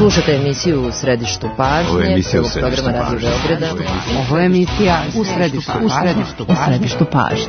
Slušate emisiju U središtu pažnje, prvog programa Radio Beograda. Ovo je emisija U središtu pažnje.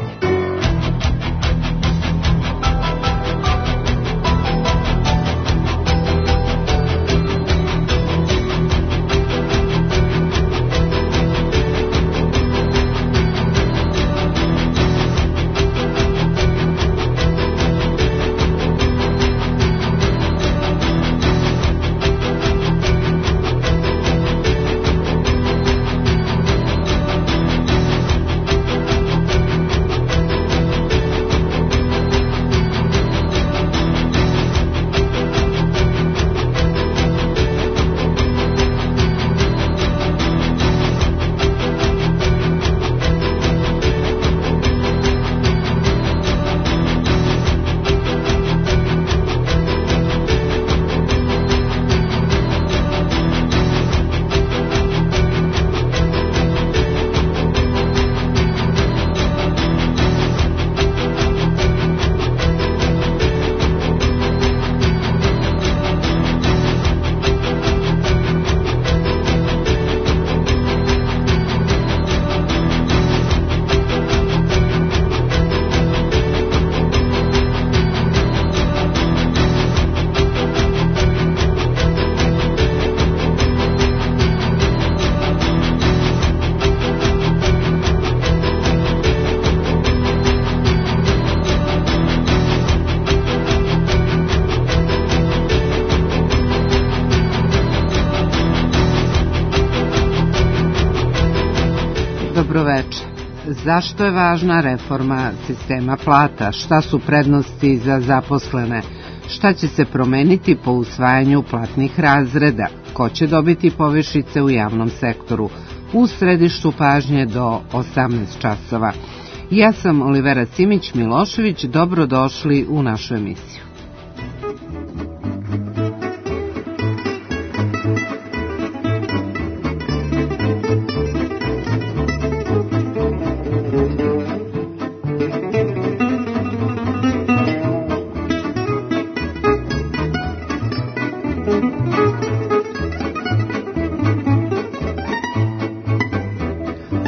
Dobroveče. Zašto je važna reforma sistema plata? Šta su prednosti za zaposlene? Šta će se promeniti po usvajanju platnih razreda? Ko će dobiti povišice u javnom sektoru? U središtu pažnje do 18 časova. Ja sam Olivera Simić-Milošević. Dobrodošli u našu emisiju.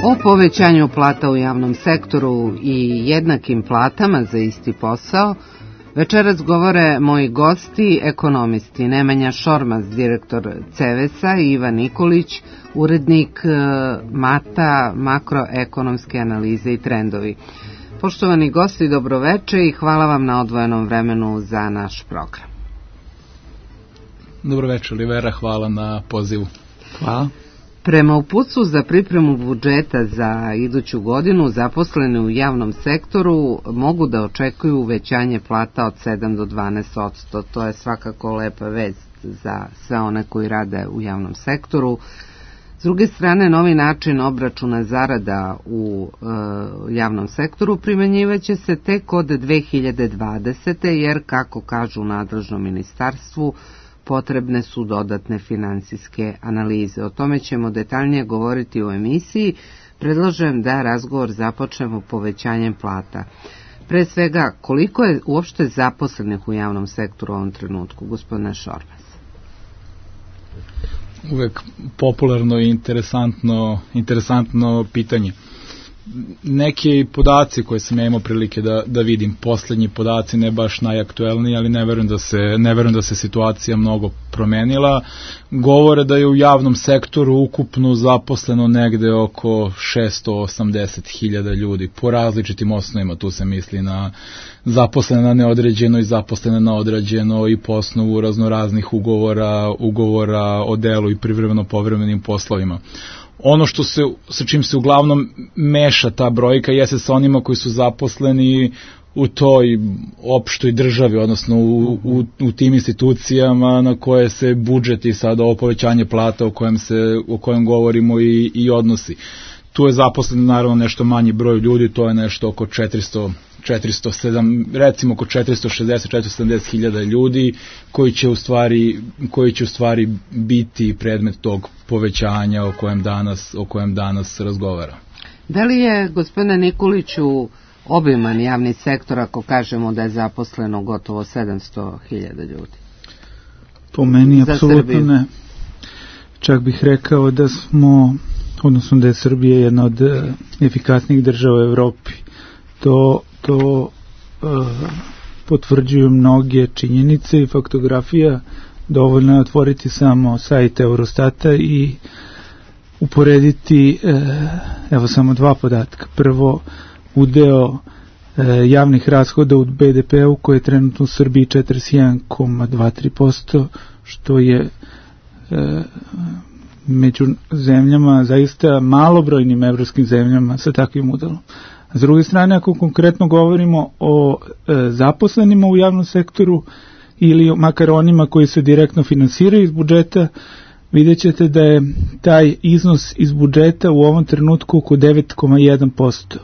O povećanju plata u javnom sektoru i jednakim platama za isti posao večeras govore moji gosti, ekonomisti Nemanja Šormaz, direktor CEVES-a, i Ivan Nikolić, urednik MATA, makroekonomske analize i trendovi. Poštovani gosti, dobroveče i hvala vam na odvojenom vremenu za naš program. Dobroveče, Olivera, hvala na pozivu. Hvala. Prema uputstvu za pripremu budžeta za iduću godinu, zaposleni u javnom sektoru mogu da očekuju uvećanje plata od 7 do 12%. To je svakako lepa vest za sve one koji rade u javnom sektoru. S druge strane, novi način obračuna zarada u javnom sektoru primenjivaće se tek od 2020. jer, kako kažu u nadležnom ministarstvu, potrebne su dodatne finansijske analize. O tome ćemo detaljnije govoriti u emisiji. Predlažem da razgovor započnemo povećanjem plata. Pre svega, koliko je uopšte zaposlenih u javnom sektoru u ovom trenutku, gospodine Šormaz? Uvek popularno i interesantno pitanje. Neki podaci koje sam ja imao prilike da vidim, poslednji podaci, ne baš najaktuelniji, ali ne verujem da se situacija mnogo promenila, govore da je u javnom sektoru ukupno zaposleno negde oko 680.000 ljudi, po različitim osnovima. Tu se misli na zaposlene na neodređeno i zaposlene na određeno i po osnovu raznoraznih ugovora o delu i privremeno povremenim poslovima. Ono sa čim se uglavnom meša ta brojka jeste sa onima koji su zaposleni u toj opštoj državi, odnosno u tim institucijama na koje se budžet i sada ovo povećanje plata o kojem govorimo i odnosi. Tu je zaposleno naravno nešto manji broj ljudi, to je nešto oko 460-470 hiljada ljudi koji će u stvari biti predmet tog povećanja o kojem danas razgovara. Da li je, gospodine Nikoliću, obiman javni sektor ako kažemo da je zaposleno gotovo 700.000 ljudi? Po meni apsolutno ne. Čak bih rekao da smo, odnosno da je Srbija jedna od efikasnijih država u Evropi. To potvrđuju mnoge činjenice i faktografija. Dovoljno je otvoriti samo sajt Eurostata i uporediti evo samo dva podatka. Prvo, udeo javnih rashoda u BDP-u koji je trenutno u Srbiji 41,23%, što je među zemljama, zaista malobrojnim evropskim zemljama sa takvim udelom. A s druge strane, ako konkretno govorimo o zaposlenima u javnom sektoru ili makar onima koji se direktno finansiraju iz budžeta, vidjet ćete da je taj iznos iz budžeta u ovom trenutku oko 9,1%.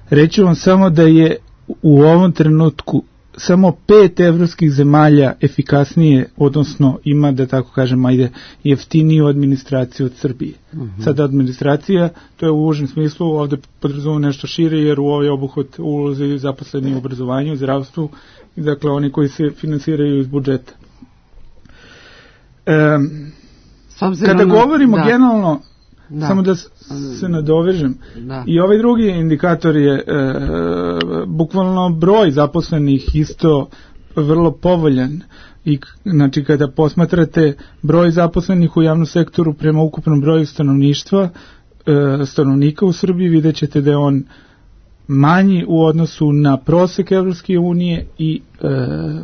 Reću vam samo da je u ovom trenutku samo 5 evropskih zemalja efikasnije, odnosno ima, da tako kažem, jeftiniju administraciju od Srbije. Sada administracija, to je u užem smislu, ovde podrazumemo nešto šire, jer u ovaj obuhvat ulaze zaposleni u obrazovanju, zdravstvu, i dakle oni koji se finansiraju iz budžeta. Kada govorimo generalno, samo da se nadovežem, i ovaj drugi indikator je bukvalno broj zaposlenih isto vrlo povoljan. I znači kada posmatrate broj zaposlenih u javnom sektoru prema ukupnom broju stanovnika u Srbiji, vidjet ćete da je on manji u odnosu na prosek Evropske unije i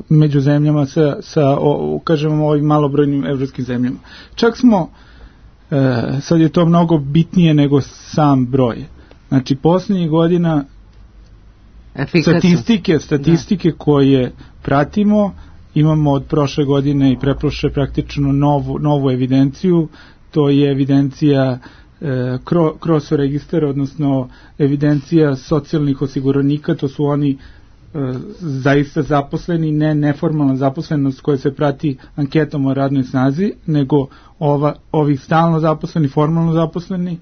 među zemljama sa kažemo ovim malobrojnim evropskim zemljama. Čak smo sad je to mnogo bitnije nego sam broj. Znači, posljednjih godina statistike koje pratimo, imamo od prošle godine i preprošle praktično novu evidenciju, to je evidencija kroz registar, odnosno evidencija socijalnih osiguranika, to su oni zaista zaposleni, ne neformalna zaposlenost koja se prati anketom o radnoj snazi, nego ovi stalno zaposleni, formalno zaposleni,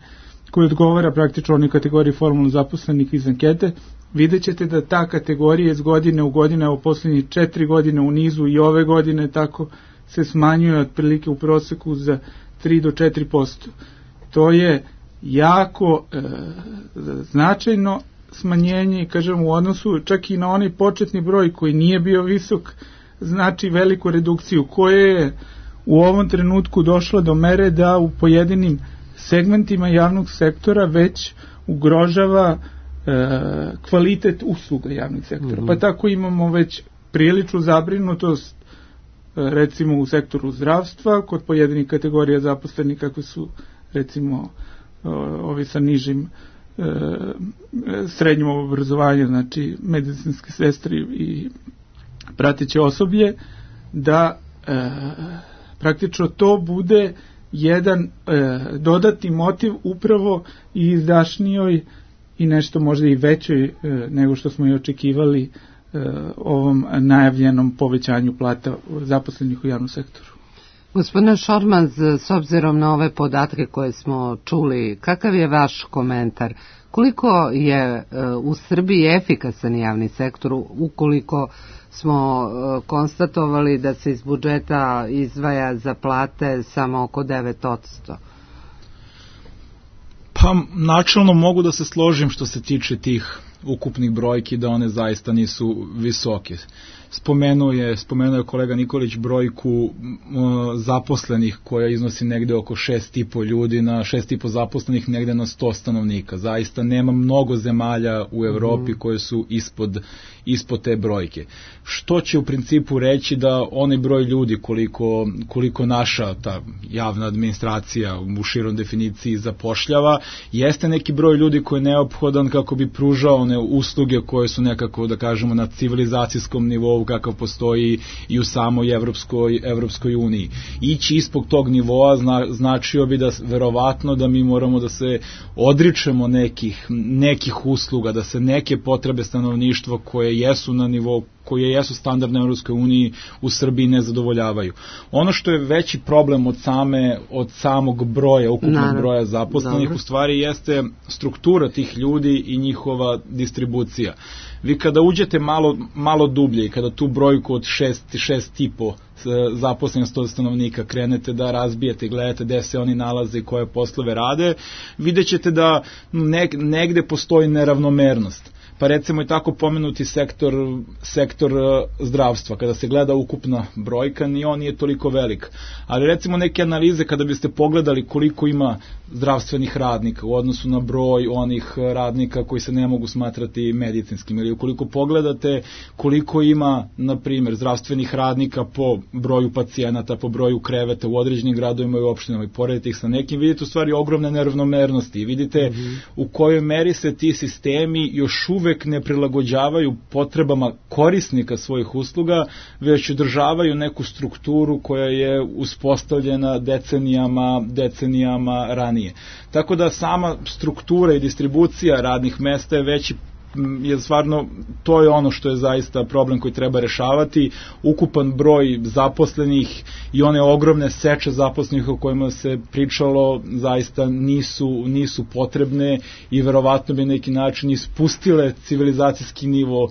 koji odgovara praktično onoj kategoriji formalno zaposlenih iz ankete. Vidjet ćete da ta kategorija iz godine u godine, u posljednjih 4 godine u nizu i ove godine tako se smanjuje otprilike u proseku za 3 do 4%. To je jako značajno smanjenje, kažem, u odnosu čak i na onaj početni broj koji nije bio visok, znači veliku redukciju koja je u ovom trenutku došla do mere da u pojedinim segmentima javnog sektora već ugrožava kvalitet usluga javnih sektora. Pa tako imamo već priličnu zabrinutost recimo u sektoru zdravstva, kod pojedinih kategorija zaposlenih kakve su recimo ovi sa nižim srednjim obrazovanjem, znači medicinske sestre i prateće osoblje, da praktično to bude jedan dodatni motiv upravo i izdašnijoj i nešto možda i većoj nego što smo i očekivali ovom najavljenom povećanju plata zaposlenih u javnom sektoru. Gospodine Šormaz, s obzirom na ove podatke koje smo čuli, kakav je vaš komentar? Koliko je u Srbiji efikasan javni sektor ukoliko smo konstatovali da se iz budžeta izdvaja za plate samo oko 9%? Pa načelno mogu da se složim što se tiče tih ukupnih brojki, da one zaista nisu visoke. Spomenuo je kolega Nikolić brojku zaposlenih koja iznosi negde oko 6,5 ljudi na 6,5 zaposlenih negde na 100 stanovnika. Zaista nema mnogo zemalja u Evropi koje su ispod te brojke. Što će u principu reći da onaj broj ljudi koliko naša ta javna administracija u širom definiciji zapošljava, jeste neki broj ljudi koji je neophodan kako bi pružao one usluge koje su nekako, da kažemo, na civilizacijskom nivou kakav postoji i u samoj Evropskoj uniji. Ići ispod tog nivoa značio bi da verovatno da mi moramo da se odričemo nekih usluga, da se neke potrebe stanovništva koje jesu na nivou koje jesu standardne u Europskoj uniji u Srbiji ne zadovoljavaju. Ono što je veći problem od samog broja, ukupnog broja zaposlenih, u stvari jeste struktura tih ljudi i njihova distribucija. Vi kada uđete malo dublje i kada tu brojku od 6,5 zaposlenih 100 stanovnika krenete da razbijete i gledate gde se oni nalaze i koje poslove rade, vidjet ćete da negde postoji neravnomernost. Pa recimo i tako pomenuti sektor zdravstva, kada se gleda ukupna brojka, ni on nije toliko velik. Ali recimo neke analize kada biste pogledali koliko ima zdravstvenih radnika u odnosu na broj onih radnika koji se ne mogu smatrati medicinskim, ili ukoliko pogledate koliko ima, na primjer, zdravstvenih radnika po broju pacijenata, po broju kreveta u određenim gradovima i opštinama i poredite ih sa nekim, vidite u stvari ogromne neravnomernosti i vidite u kojoj meri se ti sistemi još uvek ne prilagođavaju potrebama korisnika svojih usluga, već održavaju neku strukturu koja je uspostavljena decenijama ranije. Tako da sama struktura i distribucija radnih mesta je veći, je stvarno, to je ono što je zaista problem koji treba rešavati. Ukupan broj zaposlenih i one ogromne seče zaposlenih o kojima se pričalo zaista nisu potrebne i verovatno bi neki način ispustile civilizacijski nivo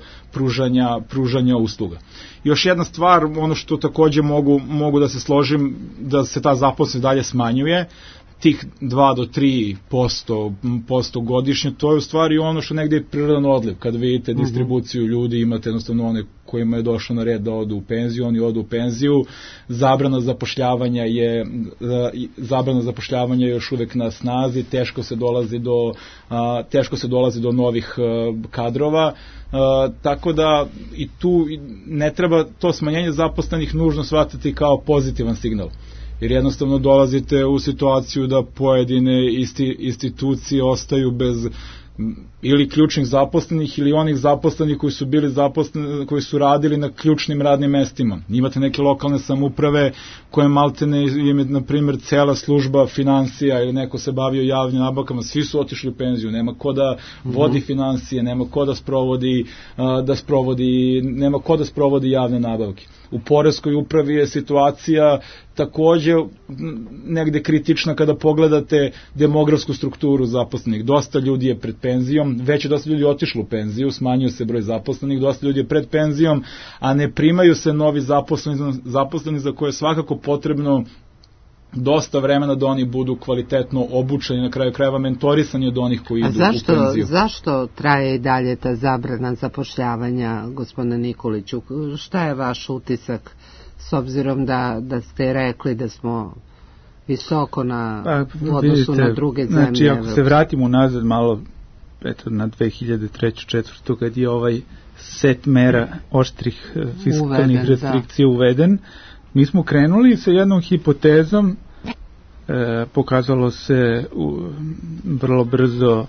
pružanja usluga. Još jedna stvar, ono što takođe mogu da se složim, da se ta zaposlenost dalje smanjuje, tih 2 do 3% godišnje, to je u stvari ono što negde je prirodan odliv. Kad vidite distribuciju ljudi, imate jednostavno one kojima je došlo na red da odu u penziju, oni odu u penziju, zabrana zapošljavanja je još uvek na snazi, teško se dolazi do novih kadrova, tako da i tu ne treba to smanjenje zaposlenih nužno shvatiti kao pozitivan signal. Jer jednostavno dolazite u situaciju da pojedine institucije ostaju bez ili ključnih zaposlenih ili onih zaposlenih koji su bili zaposleni, koji su radili na ključnim radnim mestima. Imate neke lokalne samouprave koje maltene im, na primjer, cela služba financija ili neko se bavio javnim nabavkama, svi su otišli u penziju, nema ko da vodi financije, nema ko da sprovodi javne nabavke. U poreskoj upravi je situacija takođe negde kritična kada pogledate demografsku strukturu zaposlenih. Dosta ljudi je pred penzijom, već je dosta ljudi otišlo u penziju, smanjio se broj zaposlenih, dosta ljudi je pred penzijom, a ne primaju se novi zaposleni za koje je svakako potrebno dosta vremena da oni budu kvalitetno obučeni, na kraju krajeva mentorisani od onih koji idu u penziju. Zašto traje i dalje ta zabrana zapošljavanja, gospodine Nikoliću? Šta je vaš utisak, s obzirom da ste rekli da smo visoko u odnosu na druge zemlje? Znači, ako se vratimo nazad malo, na 2003-2004, kad je ovaj set mera oštrih fiskalnih restrikcija uveden, mi smo krenuli sa jednom hipotezom, pokazalo se vrlo brzo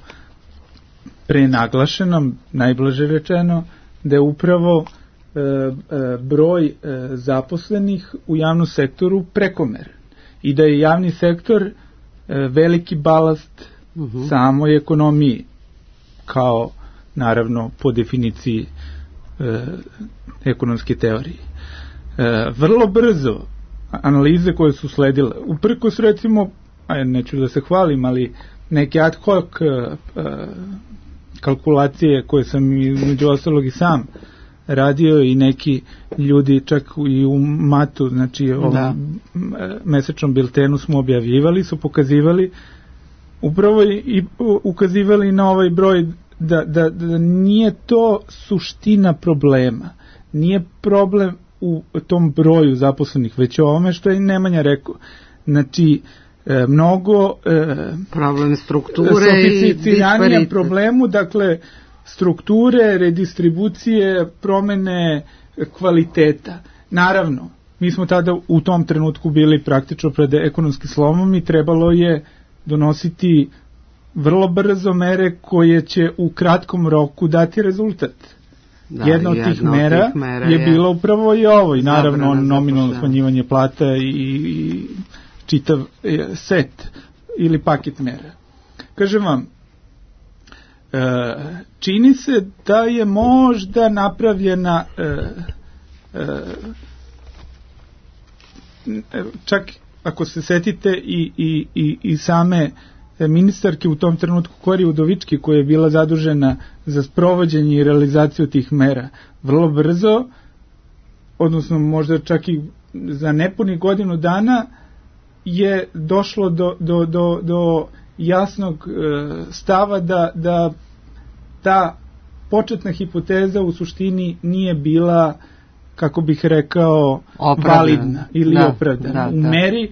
prenaglašenom, najblaže rečeno, da je upravo broj zaposlenih u javnom sektoru prekomeren i da je javni sektor veliki balast samoj ekonomiji, kao naravno po definiciji ekonomske teorije. Vrlo brzo analize koje su sledile, uprkos recimo, neću da se hvalim, ali neke ad hoc kalkulacije koje sam između ostalog i sam radio i neki ljudi čak i u Matu, znači ovom mesečnom biltenu smo objavljivali, su pokazivali upravo i ukazivali na ovaj broj da nije to suština problema, nije problem u tom broju zaposlenih, već o ovome što je Nemanja rekao. Znači, mnogo problem strukture sofisticiranija problemu, dakle, strukture, redistribucije, promene kvaliteta. Naravno, mi smo tada u tom trenutku bili praktično pred ekonomskim slomom i trebalo je donositi vrlo brzo mere koje će u kratkom roku dati rezultat. Jedna od tih mera je bila upravo i ovo, i naravno nominalno smanjivanje plata i čitav set ili paket mera. Kažem vam, čini se da je možda napravljena čak ako se setite i same ministarke u tom trenutku Kori Udovički, koja je bila zadužena za sprovođenje i realizaciju tih mera, vrlo brzo, odnosno možda čak i za nepunih godinu dana, je došlo do jasnog stava da ta početna hipoteza u suštini nije bila, kako bih rekao, validna ili opravdana u meri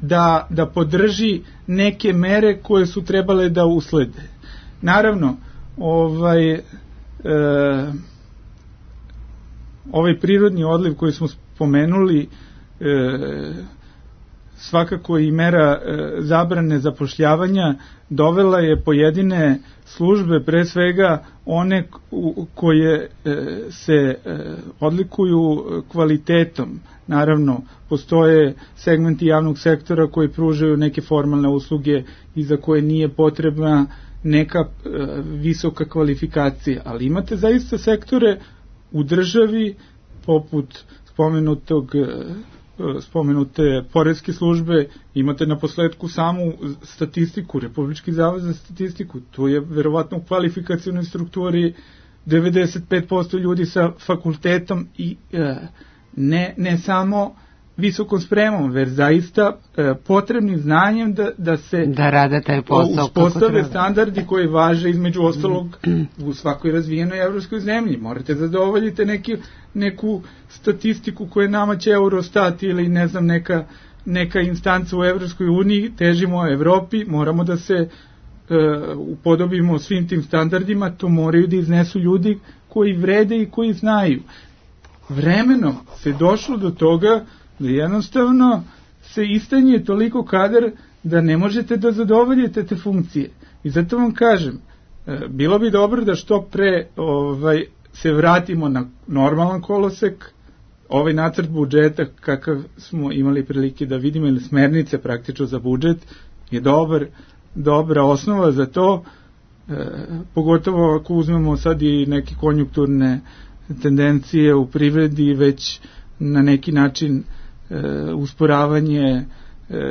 da podrži neke mere koje su trebale da uslede. Naravno, ovaj prirodni odliv koji smo spomenuli, svakako i mera zabrane zapošljavanja, dovela je pojedine službe, pre svega one koje se odlikuju kvalitetom. Naravno, postoje segmenti javnog sektora koji pružaju neke formalne usluge i za koje nije potrebna neka visoka kvalifikacija, ali imate zaista sektore u državi poput spomenute poreske službe, imate na posledku samu statistiku, Republički zavod za statistiku, tu je verovatno u kvalifikacionoj strukturi 95% ljudi sa fakultetom i ne samo visokom spremom, već zaista potrebnim znanjem da se rade taj posao, uspostave standardi koji važe između ostalog u svakoj razvijenoj evropskoj zemlji. Morate zadovoljiti neku statistiku koju nama će Eurostat ili ne znam neka instanca u Evropskoj uniji, težimo Evropi, moramo da se upodobimo svim tim standardima, to moraju da iznesu ljudi koji vrede i koji znaju. Vremenom se došlo do toga da jednostavno se istanje toliko kadar da ne možete da zadovoljite te funkcije. I zato vam kažem, bilo bi dobro da što pre se vratimo na normalan kolosek. Ovaj nacrt budžeta kakav smo imali prilike da vidimo, ili smernice praktično za budžet, je dobra osnova za to, pogotovo ako uzmemo sad i neke konjunkturne tendencije u privredi, već na neki način usporavanje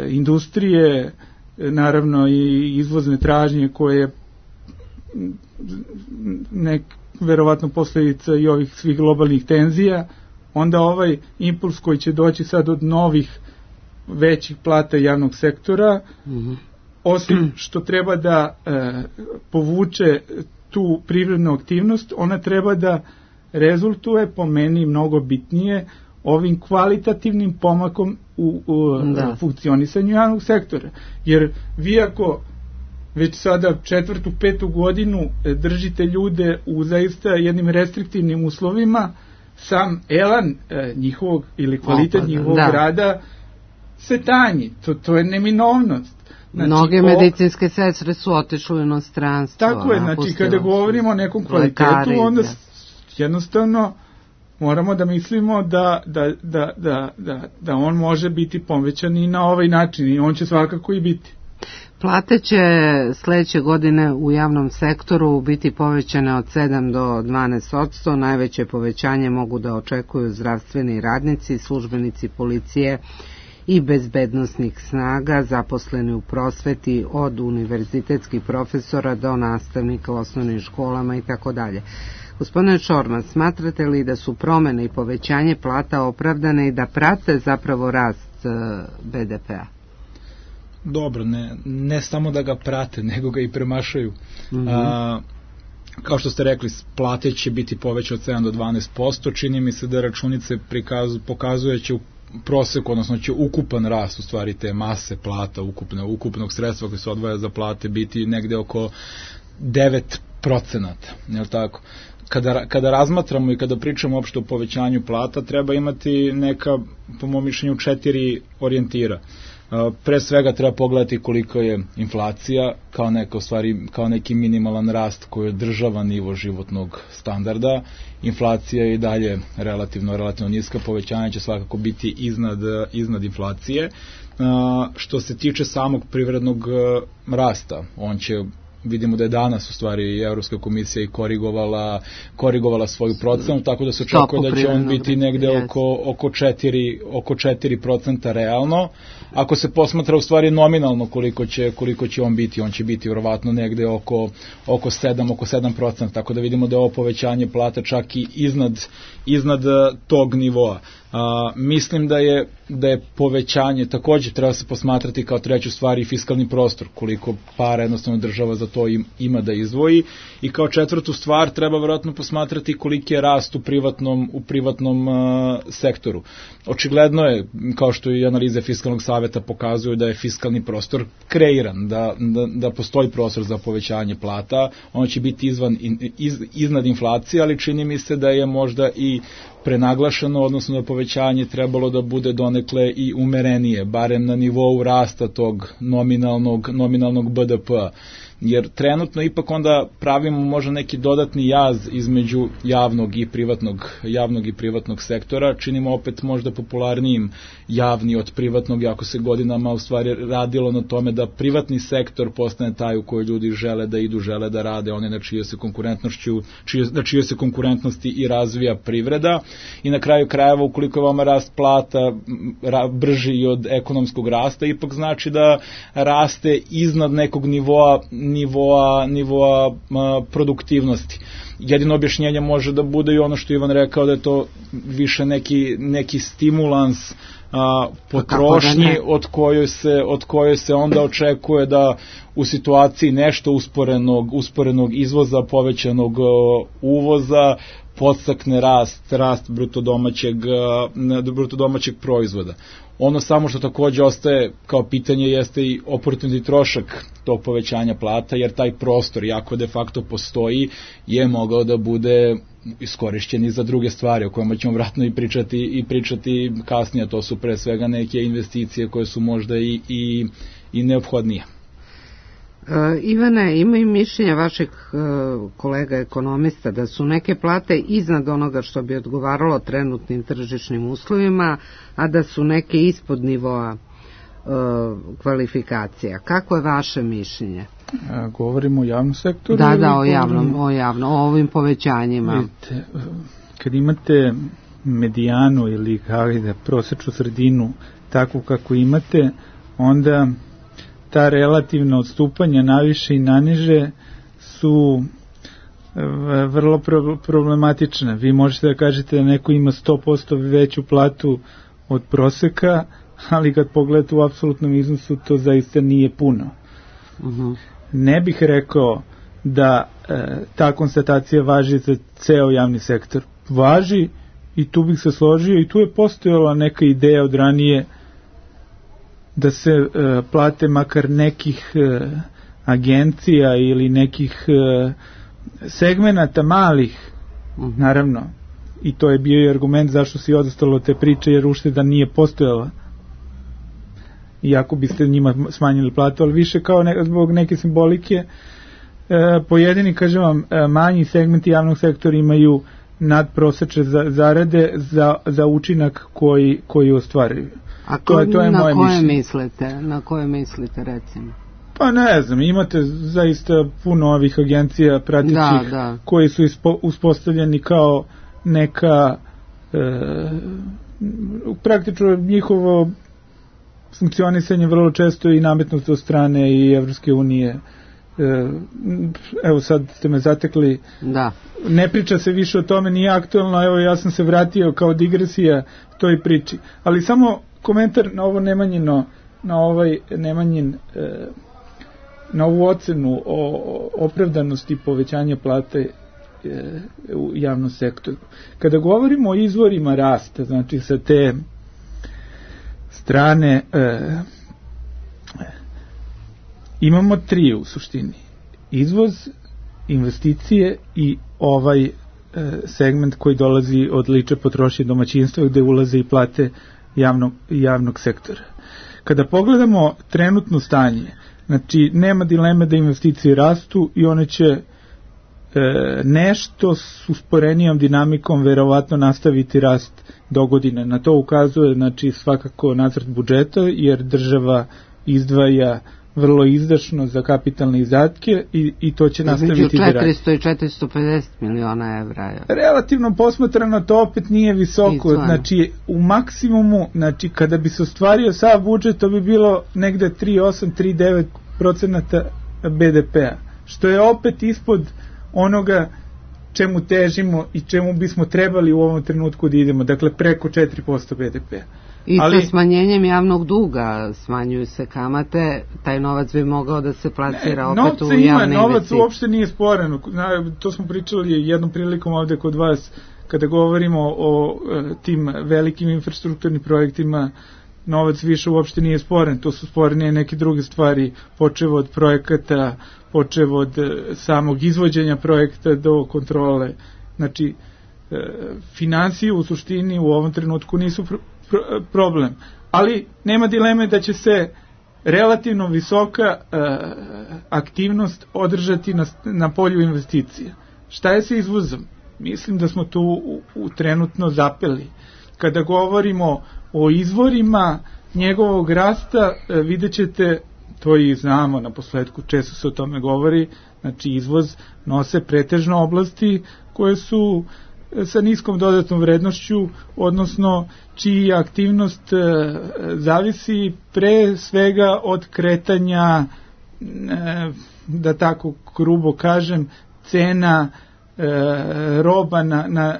industrije, naravno i izvozne tražnje koje verovatno posledica i ovih svih globalnih tenzija, onda ovaj impuls koji će doći sad od novih većih plata javnog sektora, osim što treba da povuče tu privrednu aktivnost, ona treba da rezultuje, po meni mnogo bitnije, ovim kvalitativnim pomakom u funkcionisanju javnog sektora. Jer vi ako već sada 4., 5. godinu držite ljude u zaista jednim restriktivnim uslovima, sam elan njihovog ili kvalitet njihovog rada se tanji. To je neminovnost. Znači, mnoge medicinske sestre su otišle u inostranstvo. Tako je, znači kada govorimo o nekom kvalitetu, onda jednostavno moramo da mislimo da on može biti povećan i na ovaj način, i on će svakako i biti. Plate će sledeće godine u javnom sektoru biti povećane od 7 do 12%. Najveće povećanje mogu da očekuju zdravstveni radnici, službenici policije i bezbednosnih snaga, zaposleni u prosveti, od univerzitetskih profesora do nastavnika u osnovnim školama itd. Gospodine Šormaz, smatrate li da su promene i povećanje plata opravdane i da prate zapravo rast BDP-a? Dobro, ne samo da ga prate, nego ga i premašaju. Kao što ste rekli, plate će biti povećane od 7 do 12%, čini mi se da računice pokazuje će u proseku, odnosno će ukupan rast, u stvari te mase plata, ukupnog sredstva koje se odvaja za plate, biti negde oko 9%, je li tako? Kada razmatramo i kada pričamo uopšte o povećanju plata, treba imati neka, po mom mišljenju, 4 orijentira. Pre svega treba pogledati koliko je inflacija kao neki minimalan rast koji održava nivo životnog standarda. Inflacija je i dalje relativno niska, povećanje će svakako biti iznad inflacije. Što se tiče samog privrednog rasta, on će vidimo da je danas u stvari Evropska komisija i korigovala svoju procenu, tako da se očekuje da će on biti negde oko 4% realno. Ako se posmatra u stvari nominalno koliko će on će biti vjerovatno negde oko 7%, tako da vidimo da je ovo povećanje plata čak i iznad tog nivoa. Mislim da je povećanje, takođe treba se posmatrati kao treću stvar i fiskalni prostor, koliko para jednostavno država za to ima da izdvoji, i kao četvrtu stvar treba vjerojatno posmatrati koliki je rast u privatnom sektoru. Očigledno je, kao što i analize Fiskalnog saveta pokazuju, da je fiskalni prostor kreiran, da postoji prostor za povećanje plata, ono će biti iznad inflacije, ali čini mi se da je možda i prenaglašeno, odnosno da povećanje trebalo da bude donekle i umerenije, barem na nivou rasta tog nominalnog BDP-a. Jer trenutno ipak onda pravimo možda neki dodatni jaz između javnog i privatnog sektora, činimo opet možda popularnijim javni od privatnog, jako se godinama u stvari radilo na tome da privatni sektor postane taj u koji ljudi žele da idu, žele da rade, one na čijoj se konkurentnosti i razvija privreda, i na kraju krajeva ukoliko je vama rast plata brži od ekonomskog rasta, ipak znači da raste iznad nekog nivoa produktivnosti. Jedino objašnjenje može da bude i ono što Ivan rekao, da je to više neki stimulans potrošnji od koje se onda očekuje da u situaciji nešto usporenog izvoza, povećanog uvoza, podstakne rast bruto domaćeg proizvoda. Ono samo što takođe ostaje kao pitanje jeste i oportuniti trošak tog povećanja plata, jer taj prostor, iako de facto postoji, je mogao da bude iskorišćen i za druge stvari o kojima ćemo vratno i pričati kasnije. To su pre svega neke investicije koje su možda i neophodnije. Ivane, ima i mišljenja vašeg kolega ekonomista da su neke plate iznad onoga što bi odgovaralo trenutnim tržišnim uslovima, a da su neke ispod nivoa kvalifikacija. Kako je vaše mišljenje? Govorimo o javnom sektoru? Da, o ovim povećanjima. Vidite, kad imate medijanu ili prosečnu sredinu takvu kako imate, onda ta relativna odstupanja naviše i naniže su vrlo problematična. Vi možete da kažete da neko ima 100% veću platu od proseka, ali kad pogledate u apsolutnom iznosu to zaista nije puno. Ne bih rekao da ta konstatacija važi za ceo javni sektor. Važi, i tu bih se složio, i tu je postojala neka ideja od ranije da se plate makar nekih agencija ili nekih segmenata malih, naravno, i to je bio i argument zašto se odostalo te priče, jer ušteda nije postojala, iako biste njima smanjili platu, ali više kao zbog neke simbolike. Pojedini, kažem vam, manji segmenti javnog sektora imaju nadprosečne zarade za učinak koji ostvaruju. A na koje mislite recimo? Pa ne znam, imate zaista puno ovih agencija pratećih koji su uspostavljeni kao neka praktično njihovo funkcionisanje vrlo često i nametnuto od strane i Evropske unije. Evo sad ste me zatekli, ne priča se više o tome, nije aktualno, evo ja sam se vratio kao digresija toj priči, ali samo komentar na ovo Nemanjino, na ovu ocenu o opravdanosti povećanja plate u javnom sektoru. Kada govorimo o izvorima rasta, znači sa te strane imamo tri u suštini. Izvoz, investicije i ovaj segment koji dolazi od lične potrošnje domaćinstva gde ulaze i plate javnog sektora. Kada pogledamo trenutno stanje, znači nema dileme da investicije rastu i one će nešto s usporenijom dinamikom verovatno nastaviti rast do godine. Na to ukazuje znači svakako nacrt budžeta, jer država izdvaja vrlo izdašno za kapitalne izdatke i to će nastaviti da radi. 400 i 450 miliona evra. Relativno posmatrano to opet nije visoko, znači u maksimumu, znači kada bi se ostvario sav budžet, to bi bilo negde 3,8-3,9% BDP-a, što je opet ispod onoga čemu težimo i čemu bismo trebali u ovom trenutku da idemo, dakle preko 4% BDP-a. I sa smanjenjem javnog duga smanjuju se kamate, taj novac bi mogao da se plasira opet u javne investicije. Novac uopšte nije sporan, to smo pričali jednom prilikom ovde kod vas, kada govorimo o tim velikim infrastrukturnim projektima, novac više uopšte nije sporan, to su sporene neke druge stvari, počev od projekata, počev od samog izvođenja projekta do kontrole. Znači, finansije u suštini u ovom trenutku nisu problem, ali nema dileme da će se relativno visoka aktivnost održati na polju investicija. Šta je sa izvozom? Mislim da smo tu trenutno zapeli. Kada govorimo o izvorima njegovog rasta, vidjet ćete, to i znamo na posledku, često se o tome govori, znači izvoz nose pretežno oblasti koje su sa niskom dodatnom vrednošću, odnosno čija aktivnost zavisi pre svega od kretanja, da tako grubo kažem, cena roba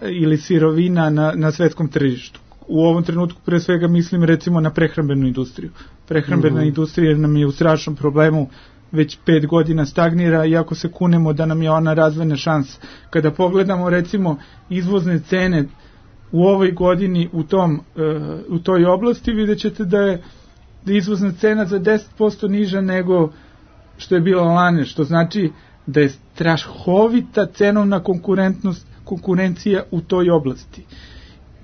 ili sirovina na svetskom tržištu. U ovom trenutku pre svega mislim recimo na prehrambenu industriju. Prehrambena industrija nam je u strašnom problemu, već 5 godina stagnira, iako se kunemo da nam je ona razvojna šansa. Kada pogledamo recimo izvozne cene u ovoj godini u toj oblasti, vidjet ćete da je izvozna cena za 10% niža nego što je bila lane, što znači da je strahovita cenovna konkurencija u toj oblasti.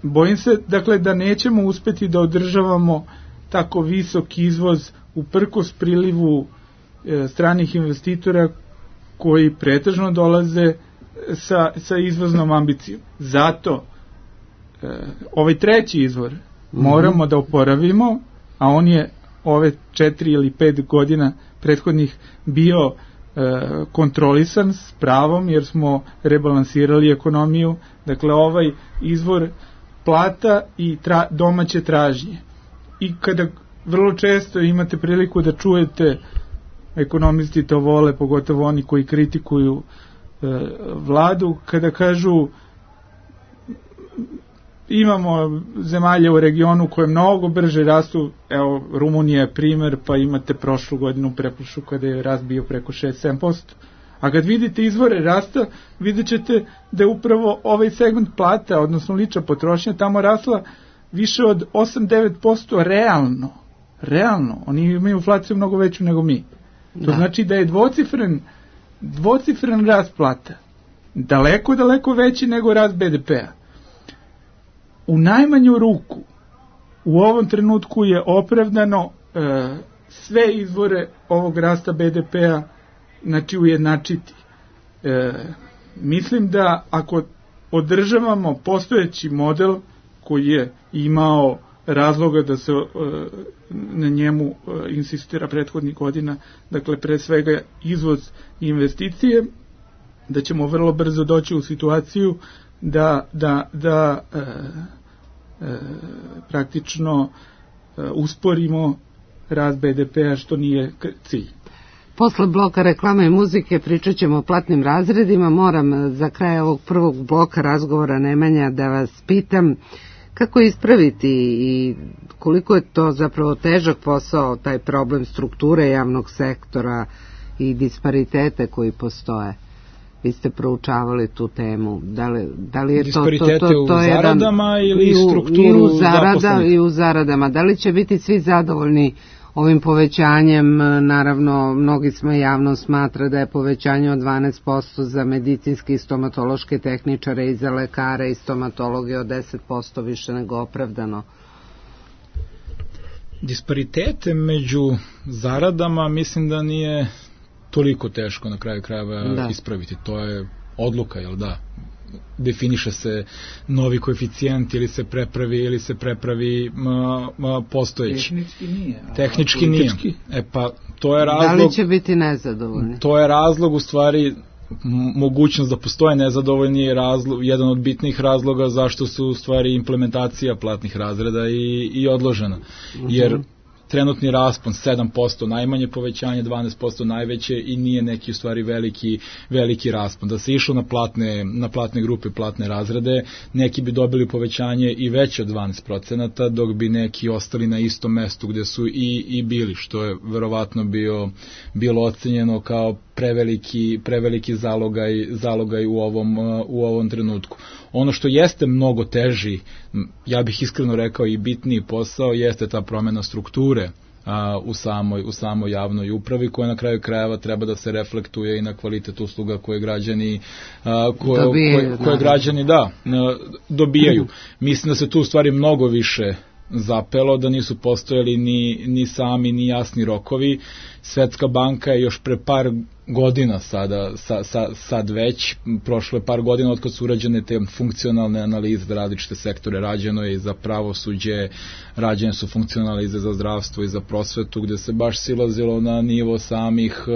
Bojim se, dakle, da nećemo uspeti da održavamo tako visok izvoz uprkos prilivu stranih investitora koji pretežno dolaze sa izvoznom ambicijom. Zato ovaj treći izvor moramo da oporavimo, a on je ove 4 ili 5 godina prethodnih bio kontrolisan s pravom, jer smo rebalansirali ekonomiju. Dakle, ovaj izvor plata i domaće tražnje. I kada vrlo često imate priliku da čujete, ekonomisti to vole, pogotovo oni koji kritikuju vladu, kada kažu imamo zemalje u regionu koje mnogo brže rastu, evo Rumunija je primer, pa imate prošlu godinu, pretprošlu, kada je rast bio preko 6-7%. A kad vidite izvore rasta, vidjet ćete da je upravo ovaj segment plata, odnosno lična potrošnja, tamo rasla više od 8-9% realno. Oni imaju inflaciju mnogo veću nego mi. To znači da je dvocifren rast plata. Daleko veći nego rast BDP-a. U najmanju ruku u ovom trenutku je opravdano sve izvore ovog rasta BDP-a znači ujednačiti. Mislim da ako održavamo postojeći model koji je imao razloga da se na njemu insistira prethodnih godina, dakle pre svega izvoz i investicije, da ćemo vrlo brzo doći u situaciju da praktično usporimo rast BDP-a, što nije cilj. Posle bloka reklame i muzike pričat ćemo o platnim razredima. Moram za kraj ovog prvog bloka razgovora, Nemanja, da vas pitam kako ispraviti i koliko je to zapravo težak posao, taj problem strukture javnog sektora i disparitete koji postoje. Vi ste proučavali tu temu. Da li je disparitete u zaradama ili strukturu zaposlenih? I u zaradama. Da li će biti svi zadovoljni ovim povećanjem? Naravno, mnogi smo javno smatra da je povećanje od 12% za medicinske i stomatološke tehničare i za lekare i stomatologe od 10% više nego opravdano. Disparitete među zaradama mislim da nije toliko teško na kraju krajeva ispraviti. To je odluka, jel da? definiše se novi koeficijent ili se prepravi postojeći. Tehnički nije. Pa to je razlog. Da li će biti nezadovoljni? To je razlog u stvari, mogućnost da postoje nezadovoljni je jedan od bitnih razloga zašto su u stvari implementacija platnih razreda i odložena. Jer trenutni raspon 7% najmanje povećanje, 12% najveće i nije neki u stvari veliki raspon. Da se išlo na platne grupe, platne razrede, neki bi dobili povećanje i veće od 12%, dok bi neki ostali na istom mestu gde su i bili, što je verovatno bilo ocenjeno kao preveliki zalogaj u ovom trenutku. Ono što jeste mnogo teži, ja bih iskreno rekao i bitniji posao, jeste ta promena strukture u samoj javnoj upravi, koja na kraju krajeva treba da se reflektuje i na kvalitet usluga koje građani dobijaju. Mislim da se tu u stvari mnogo više zapelo, da nisu postojali ni sami ni jasni rokovi. Svetska banka je još pre par godina sad već, prošlo je par godina od kad su urađene te funkcionalne analize za različite sektore, rađeno je i za pravosuđe, rađene su funkcionalne analize za zdravstvo i za prosvetu, gde se baš silazilo na nivo samih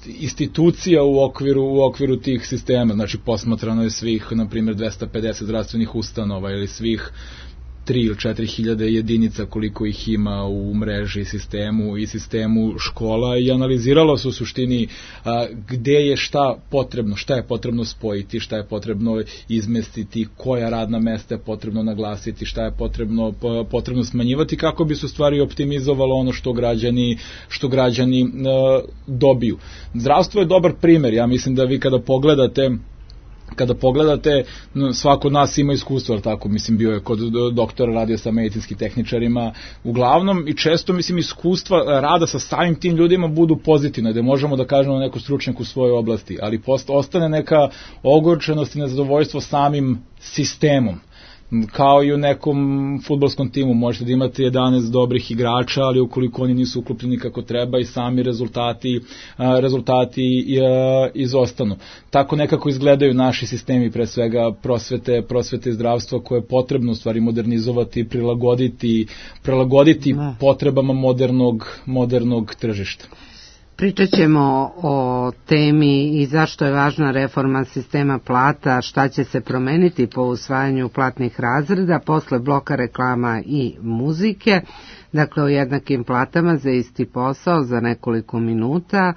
institucija u okviru tih sistema. Znači posmatrano je svih, na primjer, 250 zdravstvenih ustanova ili svih 3 ili 4 hiljade jedinica koliko ih ima u mreži i sistemu škola i analiziralo se u suštini gde je šta je potrebno spojiti, šta je potrebno izmestiti, koja radna mesta je potrebno naglasiti, šta je potrebno smanjivati, kako bi se u stvari optimizovalo ono što građani dobiju. Zdravstvo je dobar primer, ja mislim da vi kada pogledate, svako od nas ima iskustvo, ali tako, mislim, bio je kod doktora, radio sa medicinskim tehničarima, uglavnom i često, mislim, iskustva rada sa samim tim ljudima budu pozitivne, da možemo da kažemo neko stručnjak u svojoj oblasti, ali ostane neka ogorčenost i nezadovoljstvo samim sistemom. Kao i u nekom fudbalskom timu, možete da imate 11 dobrih igrača, ali ukoliko oni nisu uklopljeni kako treba i sami rezultati izostanu. Tako nekako izgledaju naši sistemi, pre svega prosvete i zdravstva, koje je potrebno u stvari modernizovati, prilagoditi potrebama modernog tržišta. Pričat ćemo o temi i zašto je važna reforma sistema plata, šta će se promeniti po usvajanju platnih razreda, posle bloka reklama i muzike, dakle o jednakim platama za isti posao za nekoliko minuta.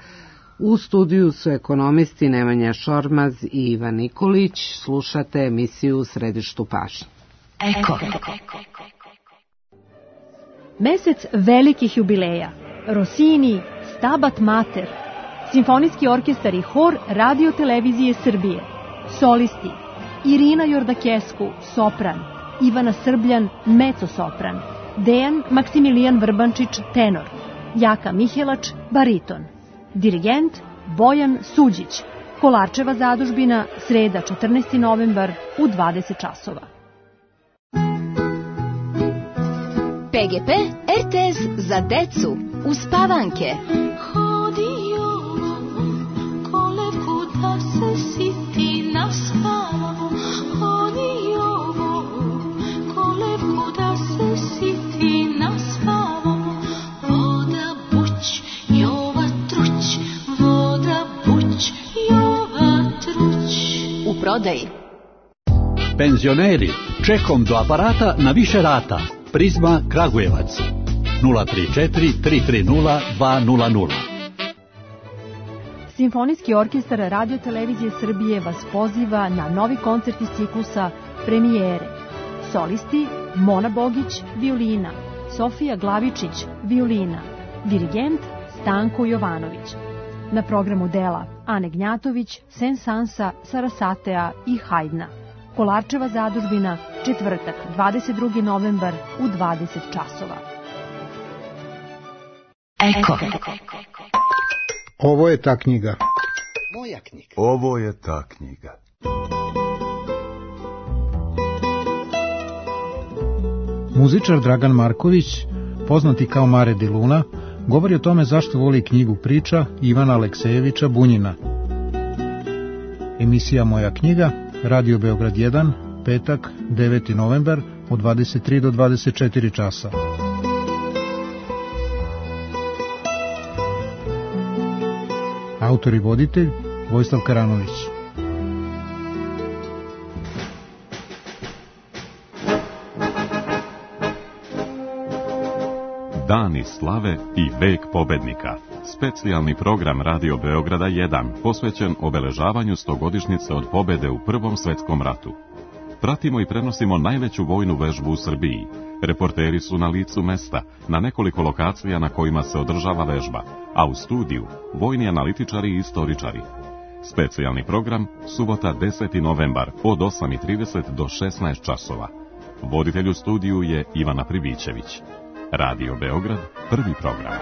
U studiju su ekonomisti Nemanja Šormaz i Ivan Nikolić. Slušate emisiju U središtu pažnje. Eko. Mesec velikih jubileja. Rossini, Stabat Mater, Simfonijski orkestar i hor Radio Televizije Srbije, solisti Irina Jordakesku, sopran, Ivana Srbljan, mezzo-sopran, Dejan Maksimilijan Vrbančić, tenor, Jaka Mihelač, bariton, dirigent Bojan Suđić, Kolarčeva zadužbina, sreda 14. novembar u 20 časova. PGP RTS za decu uspavanke. Hodio kolevku da se siti naspavamo. Hodio kolevku da se siti naspavamo. Voda buć, Jova truć, voda buć, Jova truć. U prodaji. Penzioneri, čekom do aparata na više rata. Prizma Kragujevac 034 330 200. Simfonijski orkestar Radio Televizije Srbije vas poziva na novi koncert iz ciklusa Premijere. Solisti Mona Bogić, violina, Sofija Glavičić, violina, dirigent Stanko Jovanović. Na programu dela Ane Gnjatović, Sensansa, Sarasatea i Hajdna. Kolarčeva zadužbina, četvrtak, 22. novembar u 20 časova. Eko. Ovo je ta knjiga. Moja knjiga. Ovo je ta knjiga. Muzičar Dragan Marković, poznati kao Mare di Luna, govori o tome zašto voli knjigu priča Ivana Aleksejevića Bunjina. Emisija Moja knjiga, Radio Beograd 1, petak, 9. novembar, od 23 do 24 časa. Autor i voditelj Vojislav Karanović. Dani slave i vek pobednika. Specijalni program Radio Beograda 1 posvećen obeležavanju 100-godišnjice od pobede u Prvom svetskom ratu. Pratimo i prenosimo najveću vojnu vežbu u Srbiji. Reporteri su na licu mesta, na nekoliko lokacija na kojima se održava vežba, a u studiju vojni analitičari i istoričari. Specijalni program, subota 10. novembar od 8:30 do 16 časova. Voditelj u studiju je Ivana Pribićević. Radio Beograd, prvi program.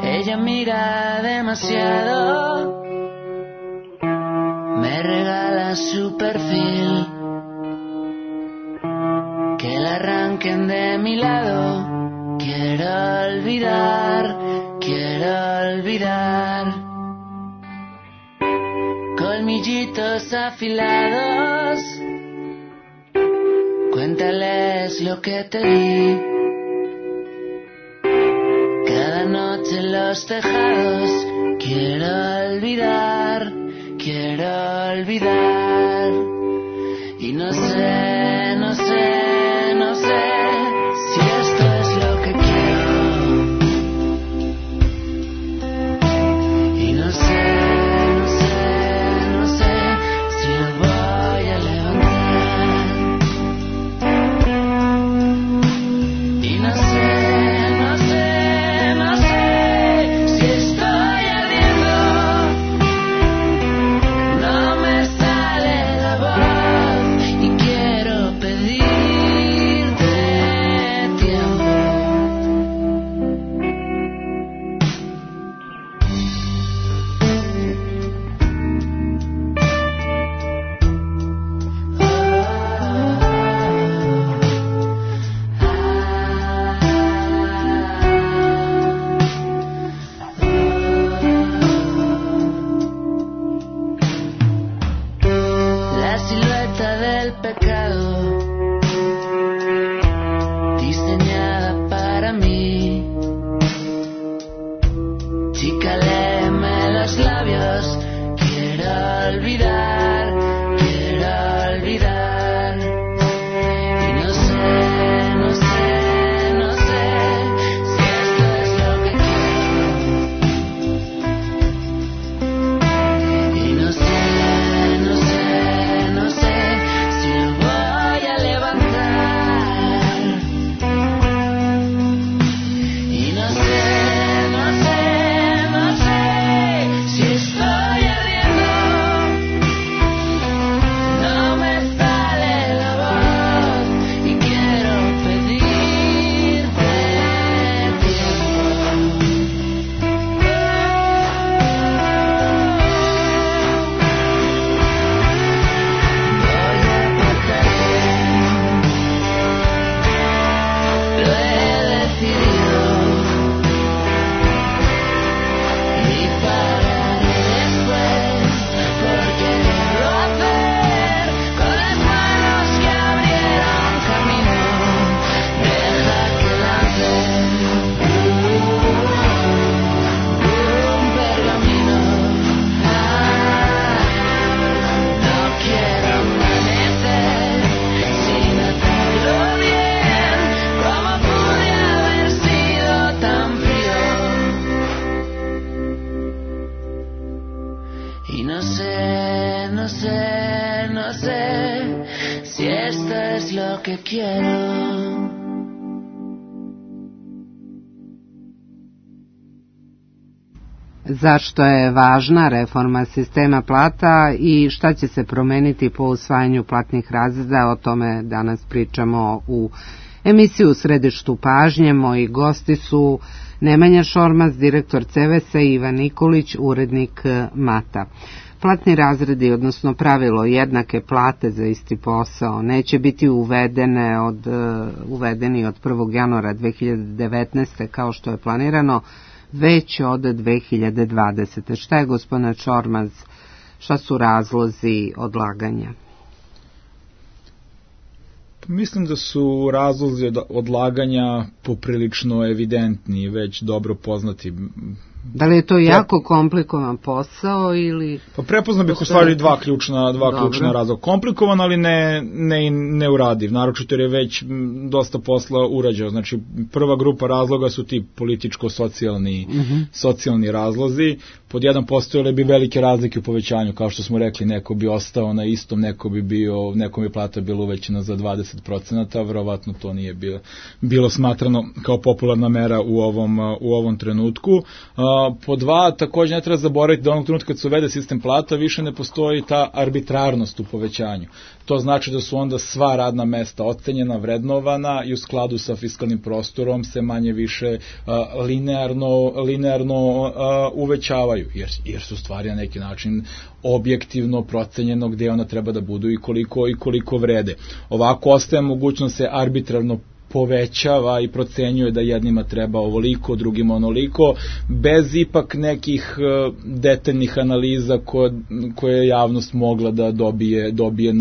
Ella mira demasiado, me regala su perfil, que la arranquen de mi lado, quiero olvidar, colmillitos afilados, cuéntales lo que te di. Cada noche en los tejados quiero olvidar, y no sé si esto es lo que quiero, y no sé si lo voy a levantar, y no sé si estoy ardiendo, no me sale la voz y quiero pedirte tiempo. La silueta del pecado, diseñada para mí. Chica, léeme los labios, quiero olvidar, y no sé si esto es lo que quiero, y no sé si lo voy a levantar, y no sé si estoy ardiendo, no me sale la voz y quiero pedirte Lo he decidido y pararé después, porque debo hacer con las manos que abrieron camino. Deja que lance un pergamino. No quiero amanecer sin hacerlo bien. ¿Cómo pude haber sido tan frío? Y no sé si esto es lo que quiero. Zašto je važna reforma sistema plata i šta će se promeniti po usvajanju platnih razreda, o tome danas pričamo u emisiju U središtu pažnje. Moji gosti su Nemanja Šormaz, direktor CEVES-a, i Ivan Nikolić, urednik MATA. platni razredi, odnosno pravilo jednake plate za isti posao, neće biti uvedeni od 1. januara 2019. kao što je planirano, već od 2020. Šta je, gospodine Čormaz, šta su razlozi odlaganja? Mislim da su razlozi odlaganja poprilično evidentni, već dobro poznati. Da li je to jako komplikovan posao ili... Pa prepoznao bih u stvari dva ključna razloga. Komplikovan, ali ne uradiv, naročito jer je već dosta posla urađeno. Znači, prva grupa razloga su ti političko-socijalni razlozi. Pod jedan postojale bi velike razlike u povećanju, kao što smo rekli, neko bi ostao na istom, nekom bi plata bila uvećena za 20%, verovatno to nije bilo smatrano kao popularna mera u ovom trenutku. Po dva, takođe ne treba zaboraviti da onog trenutka kad se uvede sistem plata više ne postoji ta arbitrarnost u povećanju. To znači da su onda sva radna mesta ocenjena, vrednovana i u skladu sa fiskalnim prostorom se manje više linearno uvećavaju, jer su stvari na neki način objektivno procenjeno gde ona treba da budu i koliko vrede. Ovako ostaje mogućnost se arbitrarno povećava i procenjuje da jednima treba ovoliko, drugima onoliko, bez ipak nekih detaljnih analiza koje je javnost mogla da dobije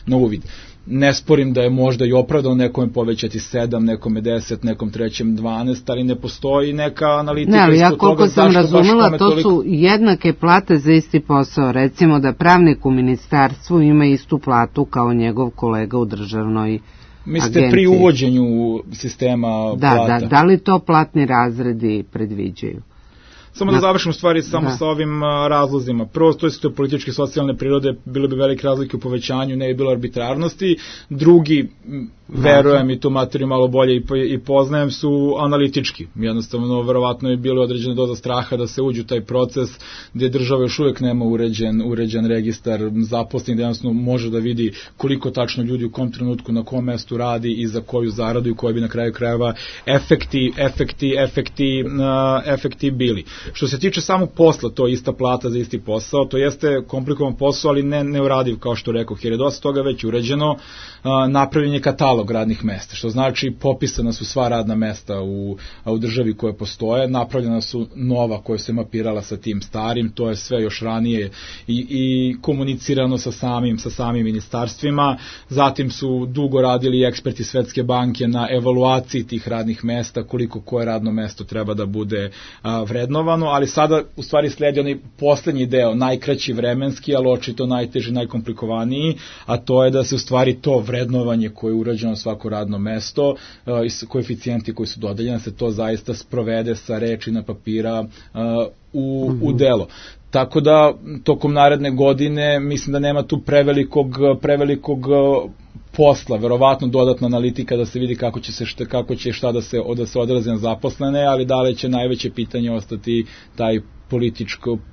na uvid. Ne sporim da je možda i opravdano nekome povećati 7, nekome 10, nekom trećem 12, ali ne postoji neka analitika. Ne, ali ja koliko sam razumela, to su jednake plate za isti posao. Recimo da pravnik u ministarstvu ima istu platu kao njegov kolega u državnoj mislite pri uvođenju sistema plata? Da li to platni razredi predviđaju? Samo da završimo stvari sa ovim razlozima. Prvo, to su političke i socijalne prirode, bilo bi velike razlike u povećanju, ne bi bilo arbitrarnosti. Drugi, verujem i tu materiju malo bolje i poznajem, su analitički. Jednostavno, verovatno je bilo određena doza straha da se uđe u taj proces gdje država još uvijek nema uređen registar zaposlenih, da jednostavno može da vidi koliko tačno ljudi u kom trenutku, na kom mestu radi i za koju zaradu i koji bi na kraju krajeva efekti bili. Što se tiče samog posla, to je ista plata za isti posao, to jeste komplikovan posao, ali ne uradiv, kao što rekao, jer je dosta toga već urađeno. Napravljen je katalog radnih mesta, što znači popisana su sva radna mesta u državi koje postoje, napravljena su nova koja se mapirala sa tim starim, to je sve još ranije i komunicirano sa samim ministarstvima. Zatim su dugo radili eksperti Svetske banke na evaluaciji tih radnih mesta, koliko koje radno mesto treba da bude vrednovano, ali sada u stvari sledi onaj poslednji deo, najkraći vremenski, ali očito najteži, najkomplikovaniji, a to je da se u stvari to vrednovanje koje je urađeno na svako radno mesto i koeficijenti koji su dodeljeni, se to zaista sprovede sa reči na papira u delo. Tako da, tokom naredne godine, mislim da nema tu prevelikog posla, verovatno dodatna analitika da se vidi kako će šta da se odrazi na zaposlene, ali da li će najveće pitanje ostati taj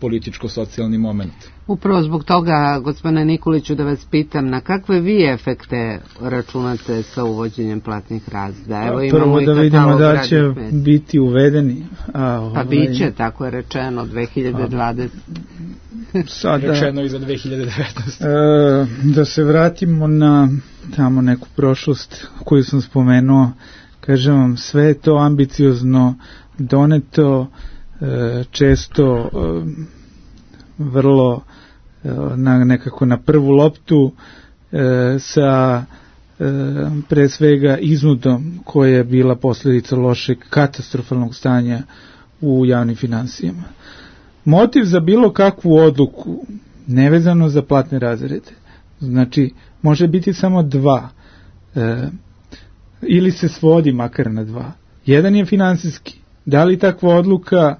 političko-socijalni moment. Upravo zbog toga, gospodine Nikoliću, da vas pitam, na kakve vi efekte računate sa uvođenjem platnih razreda? Prvo da vidimo da će biti uvedeni. Pa bit će, tako je rečeno, 2020. Rečeno i za 2019. Da se vratimo na tamo neku prošlost koju sam spomenuo, kažem vam, sve je to ambiciozno doneto, često vrlo nekako na prvu loptu, sa pre svega iznudom koja je bila posljedica lošeg katastrofalnog stanja u javnim finansijama. Motiv za bilo kakvu odluku nevezano za platne razrede, znači može biti samo dva, ili se svodi makar na dva. Jedan je finansijski. Da li takva odluka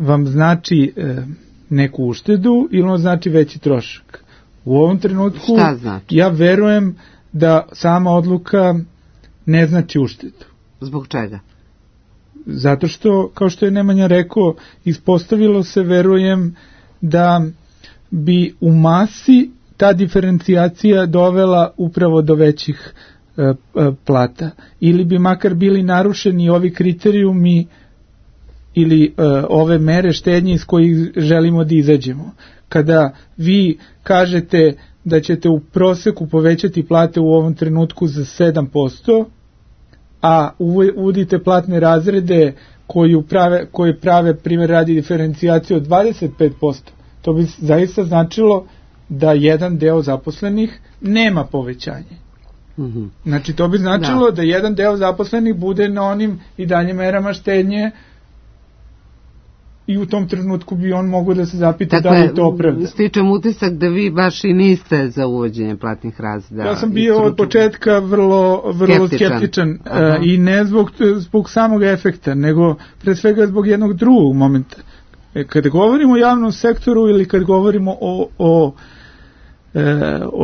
vam znači neku uštedu ili on znači veći trošak? U ovom trenutku znači? Ja verujem da sama odluka ne znači uštedu. Zbog čega? Zato što, kao što je Nemanja rekao, ispostavilo se, verujem, da bi u masi ta diferencijacija dovela upravo do većih plata. Ili bi makar bili narušeni ovi kriterijumi ili ove mere štednje iz kojih želimo da izađemo. Kada vi kažete da ćete u proseku povećati plate u ovom trenutku za 7%, a uvodite platne razrede koji prave, primjer radi, diferencijaciju od 25%, to bi zaista značilo da jedan deo zaposlenih nema povećanje. Znači, to bi značilo da jedan deo zaposlenih bude na onim i dalje merama štednje, i u tom trenutku bi on mogao da se zapita da li to opravda. Stičem utisak da vi baš i niste za uvođenje platnih razreda. Ja sam bio od početka vrlo skeptičan i ne zbog samog efekta, nego pre svega zbog jednog drugog momenta. Kada govorimo o javnom sektoru ili kad govorimo o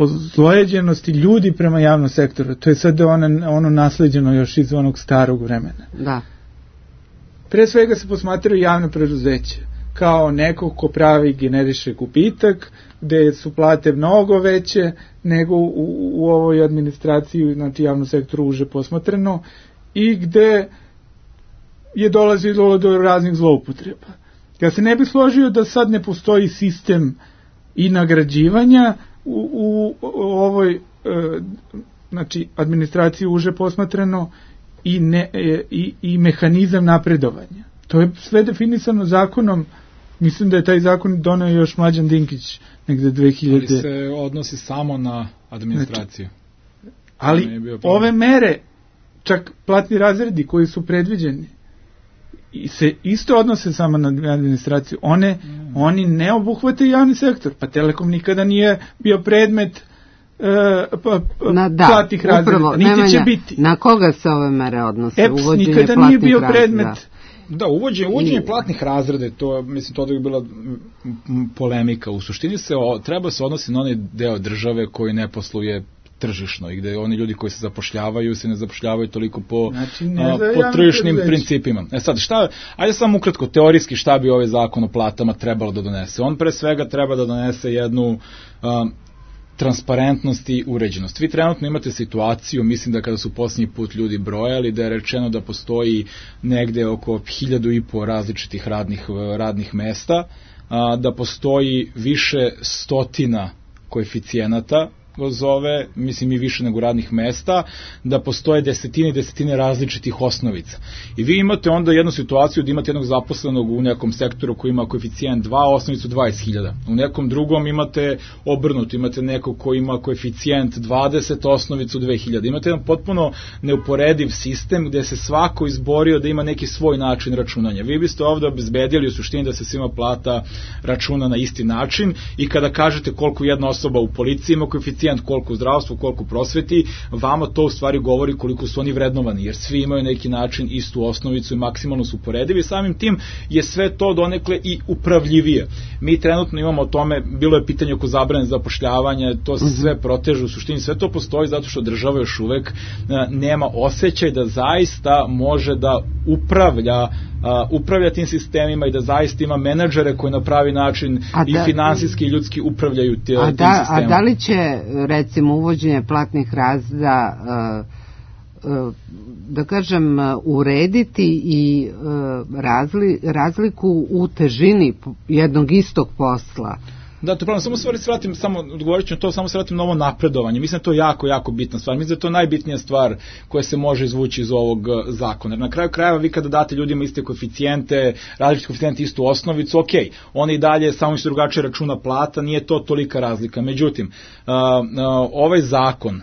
zlojeđenosti ljudi prema javnom sektoru, to je sad ono nasleđeno još iz onog starog vremena. Da. Pre svega se posmatraju javne preduzeće kao neko ko pravi, generiše gubitak, gde su plate mnogo veće nego u ovoj administraciji, znači javnom sektoru uže posmatrano, i gde je dolazilo do raznih zloupotreba. Ja se ne bih složio da sad ne postoji sistem i nagrađivanja u ovoj znači administraciji uže posmatrano i mehanizam napredovanja. To je sve definisano zakonom. Mislim da je taj zakon doneo još Mlađan Dinkić negde 2000. Ali se odnosi samo na administraciju. Znači, ali ove mere, čak platni razredi koji su predviđeni, se isto odnose samo na administraciju. Oni ne obuhvate javni sektor. Pa Telekom nikada nije bio predmet platnih razreda. Niti će biti. Na koga se ove mere odnose? EPS nikada nije bio predmet. Da, uvođenje platnih razreda, to mislim to da bi bila polemika. U suštini treba se odnosi na onaj deo države koji ne posluje tržišno i gde oni ljudi koji se zapošljavaju se ne zapošljavaju toliko po tržišnim principima. Sad, ajde samo ukratko, teorijski šta bi ovaj zakon o platama trebalo da donese? On pre svega treba da donese jednu transparentnost i uređenost. Vi trenutno imate situaciju, mislim da kada su posljednji put ljudi brojali, da je rečeno da postoji negde oko 1500 različitih radnih mesta, da postoji više stotina koeficijenata, zove, mislim i više nego radnih mesta, da postoje desetine različitih osnovica. I vi imate onda jednu situaciju da imate jednog zaposlenog u nekom sektoru koji ima koeficijent 2, osnovicu 20.000. U nekom drugom imate obrnuto, imate nekog koji ima koeficijent 20, osnovicu 2.000. Imate jedan potpuno neuporediv sistem gde se svako izborio da ima neki svoj način računanja. Vi biste ovde obezbedili u suštini da se svima plata računa na isti način i kada kažete koliko jedna osoba u policiji ima koeficijent, koliko u zdravstvu, koliko u prosveti, vama to u stvari govori koliko su oni vrednovani, jer svi imaju neki način istu osnovicu i maksimalno su uporedivi. Samim tim je sve to donekle i upravljivije. Mi trenutno imamo o tome, bilo je pitanje oko zabrane zapošljavanja, to se sve proteže, u suštini sve to postoji zato što država još uvek nema osjećaj da zaista može da upravlja tim sistemima i da zaista ima menadžere koji na pravi način i finansijski i ljudski upravljaju tim sistemima. A da li će recimo uvođenje platnih razreda da kažem urediti i razliku u težini jednog istog posla? Da, to je pravno, samo odgovorit ću na to, samo se vratim na ovo napredovanje. Mislim da to je jako bitna stvar. Mislim da je to najbitnija stvar koja se može izvući iz ovog zakona. Na kraju krajeva vi kada date ljudima iste koeficijente, različite koeficijente, istu osnovicu, ok, oni i dalje samo što drugačije računa plata, nije to tolika razlika. Međutim, ovaj zakon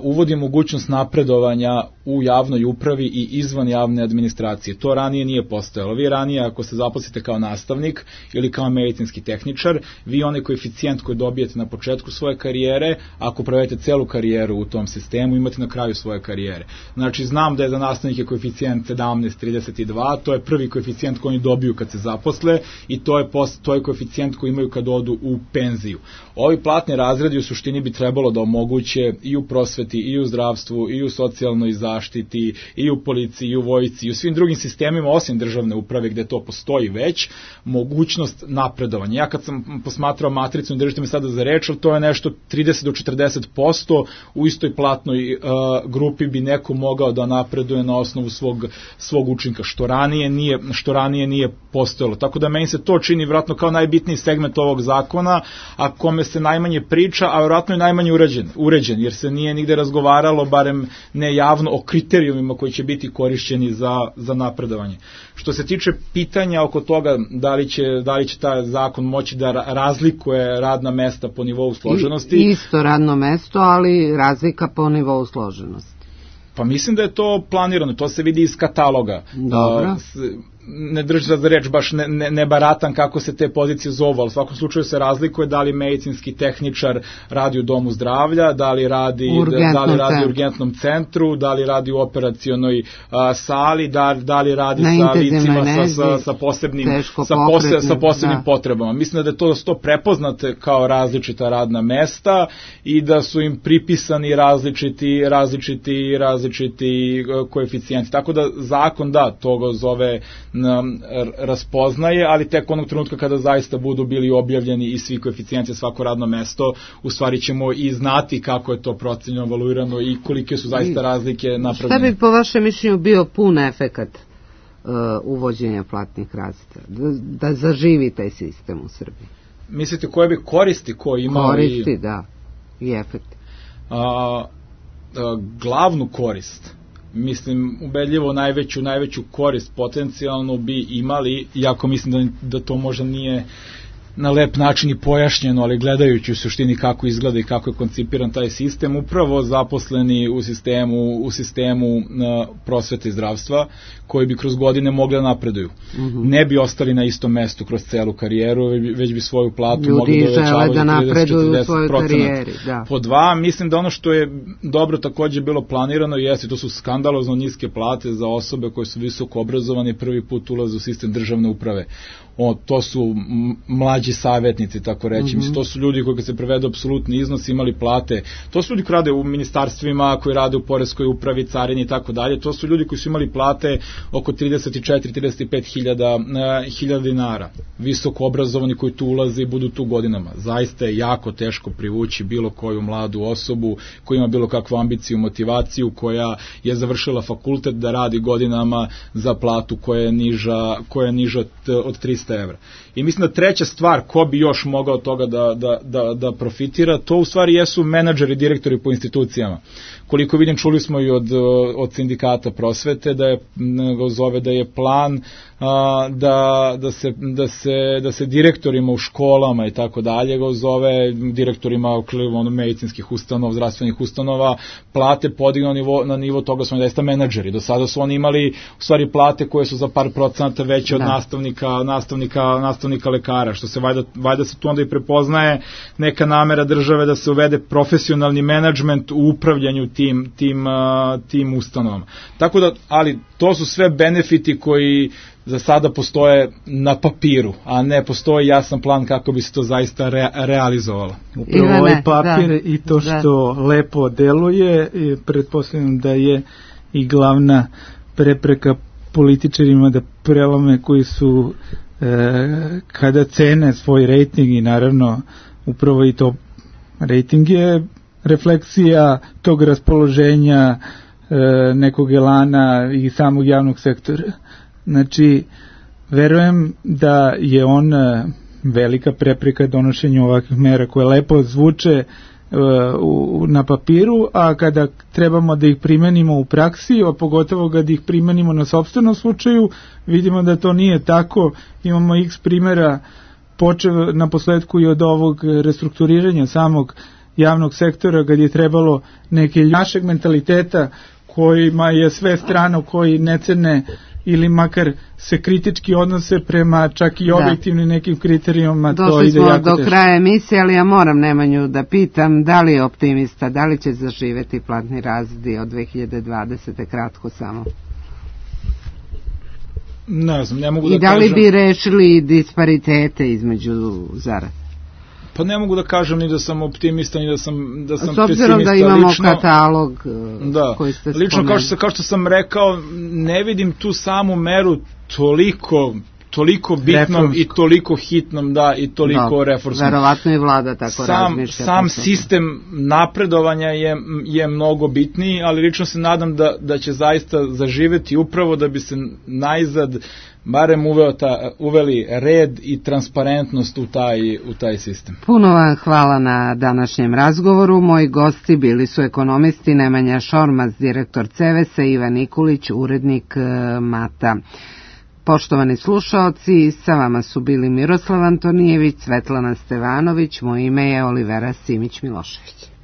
uvodi mogućnost napredovanja u javnoj upravi i izvan javne administracije. To ranije nije postojalo. Vi ranije, ako se zaposlite kao nastavnik ili kao medicinski tehničar, vi onaj koeficijent koji dobijete na početku svoje karijere, ako provedete celu karijeru u tom sistemu, imate na kraju svoje karijere. Znači, znam da je za nastavnike koeficijent 17,32, to je prvi koeficijent koji oni dobiju kad se zaposle i to je koeficijent koji imaju kad odu u penziju. Ovi platni razredi u suštini bi trebalo da omoguće i u prosveti, i u zdravstvu, i u socijalnoj zaštiti, zaštiti, i u policiji, i u vojsci, i u svim drugim sistemima, osim državne uprave gde to postoji već, mogućnost napredovanja. Ja kad sam posmatrao matricu, ne držite me sada za reč, ali to je nešto 30 do 40%, u istoj platnoj grupi bi neko mogao da napreduje na osnovu svog učinka, što ranije nije postojalo. Tako da meni se to čini vjerojatno kao najbitniji segment ovog zakona, a kome se najmanje priča, a vjerojatno i najmanje uređen, jer se nije nigde razgovaralo, barem ne javno, o kriterijumima koji će biti korišćeni za napredovanje. Što se tiče pitanja oko toga da li će taj zakon moći da razlikuje radna mesta po nivou složenosti. Isto radno mesto, ali razlika po nivou složenosti. Pa mislim da je to planirano, to se vidi iz kataloga. Dobro. Ne držim za reč, baš ne baratam kako se te pozicije zovu, ali u svakom slučaju se razlikuje da li medicinski tehničar radi u domu zdravlja, da li radi u urgentnom centru, da li radi u operacionoj sali, da li radi sa licima sa posebnim potrebama. Mislim da je to prepoznate kao različita radna mesta i da su im pripisani različiti koeficijenti. Tako da zakon toga zove raspoznaje, ali tek onog trenutka kada zaista budu bili objavljeni i svi koeficijenti za svako radno mesto, u stvari ćemo i znati kako je to procenjeno, evaluirano i kolike su zaista razlike napravljene. Šta bi po vašem mišljenju bio pun efekat uvođenja platnih razreda? Da zaživi taj sistem u Srbiji? Mislite koje bi koristi ko imao? Koristi, da. I efekti. Glavnu korist, mislim, ubedljivo najveću korist potencijalno bi imali, iako mislim da to možda nije na lep način i pojašnjeno, ali gledajući u suštini kako izgleda i kako je koncipiran taj sistem, upravo zaposleni u sistemu prosvete i zdravstva, koji bi kroz godine mogli da napreduju. Ne bi ostali na istom mestu kroz celu karijeru, već bi svoju platu mogli da uvećavaju da napreduju u svojoj karijeri. Da. Po dva, mislim da ono što je dobro takođe bilo planirano jeste, to su skandalozno niske plate za osobe koje su visoko obrazovane i prvi put ulaze u sistem državne uprave. To su mlađi savjetnici, tako reći. Mislim, to su ljudi koji kad se prevedu apsolutni iznos imali plate. To su ljudi koji rade u ministarstvima, koji rade u poreskoj upravi, carini i tako dalje. To su ljudi koji su imali plate oko 34-35 hiljada dinara. Visoko obrazovani koji tu ulaze i budu tu godinama. Zaista je jako teško privući bilo koju mladu osobu koja ima bilo kakvu ambiciju, motivaciju, koja je završila fakultet da radi godinama za platu koja je niža od 300 evra. I mislim da treća stvar, ko bi još mogao toga da profitira, to u stvari jesu menadžeri, direktori po institucijama. Koliko vidim, čuli smo i od sindikata prosvete da je plan da se direktorima u školama i tako dalje zove direktorima medicinskih ustanova, zdravstvenih ustanova, plate podignu na nivo toga su da menadžeri. Do sada su oni imali u stvari plate koje su za par procenata veće od nastavnika lekara, što se valjda se tu onda i prepoznaje neka namera države da se uvede profesionalni menadžment u upravljanju tim ustanovama. Tako da, ali to su sve benefiti koji za sada postoje na papiru, a ne postoji jasan plan kako bi se to zaista realizovalo. Upravo ovaj papir i to što lepo deluje, pretpostavljam da je i glavna prepreka političarima da prelome koji su kada cene svoj rejting, i naravno upravo i to rejting je refleksija tog raspoloženja nekog elana i samog javnog sektora. Znači, verujem da je on velika prepreka donošenju ovakvih mera koje lepo zvuče na papiru, a kada trebamo da ih primenimo u praksi, a pogotovo kada ih primenimo na sopstvenom slučaju, vidimo da to nije tako. Imamo x primjera, počev na posledku i od ovog restrukturiranja samog javnog sektora, kad je trebalo neke našeg mentaliteta kojima je sve strano, koji ne cene ili makar se kritički odnose prema čak i objektivnim nekim kriterijuma. Došli smo do kraja emisije, ali ja moram Nemanju da pitam da li je optimista, da li će zaživeti platni razredi od 2020. kratko samo. Ne znam, ne mogu da kažem. I da li bi rešili disparitete između zarada? Pa ne mogu da kažem ni da sam optimista, ni da sam pessimista. S obzirom da imamo katalog koji ste spomenuli. Lično, kao što sam rekao, ne vidim tu samu meru toliko bitnom i toliko hitnom, i toliko reformskom. Verovatno i vlada tako razmišlja. Sam sistem napredovanja je mnogo bitniji, ali lično se nadam da će zaista zaživeti upravo da bi se najzad barem uveli red i transparentnost u taj sistem. Puno vam hvala na današnjem razgovoru. Moji gosti bili su ekonomisti Nemanja Šormaz, direktor CEVES-a, Ivan Nikulić, urednik Mata. Poštovani slušaoci, sa vama su bili Miroslav Antonijević, Svetlana Stevanović, moje ime je Olivera Simić-Milošević.